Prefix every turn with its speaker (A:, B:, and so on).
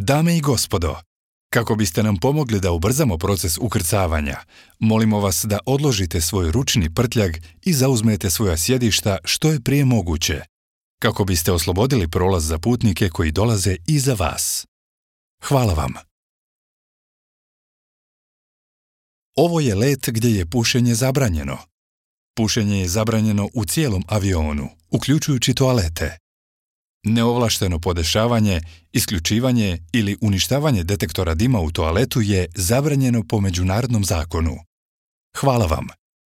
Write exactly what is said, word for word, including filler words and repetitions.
A: Dame i gospodo, kako biste nam pomogli da ubrzamo proces ukrcavanja, molimo vas da odložite svoj ručni prtljag i zauzmete svoja sjedišta što je prije moguće, kako biste oslobodili prolaz za putnike koji dolaze iza vas. Hvala vam. Ovo je let gdje je pušenje zabranjeno. Pušenje je zabranjeno u cijelom avionu, uključujući toalete. Neovlašteno podešavanje, isključivanje ili uništavanje detektora dima u toaletu je zabranjeno po međunarodnom zakonu. Hvala vam.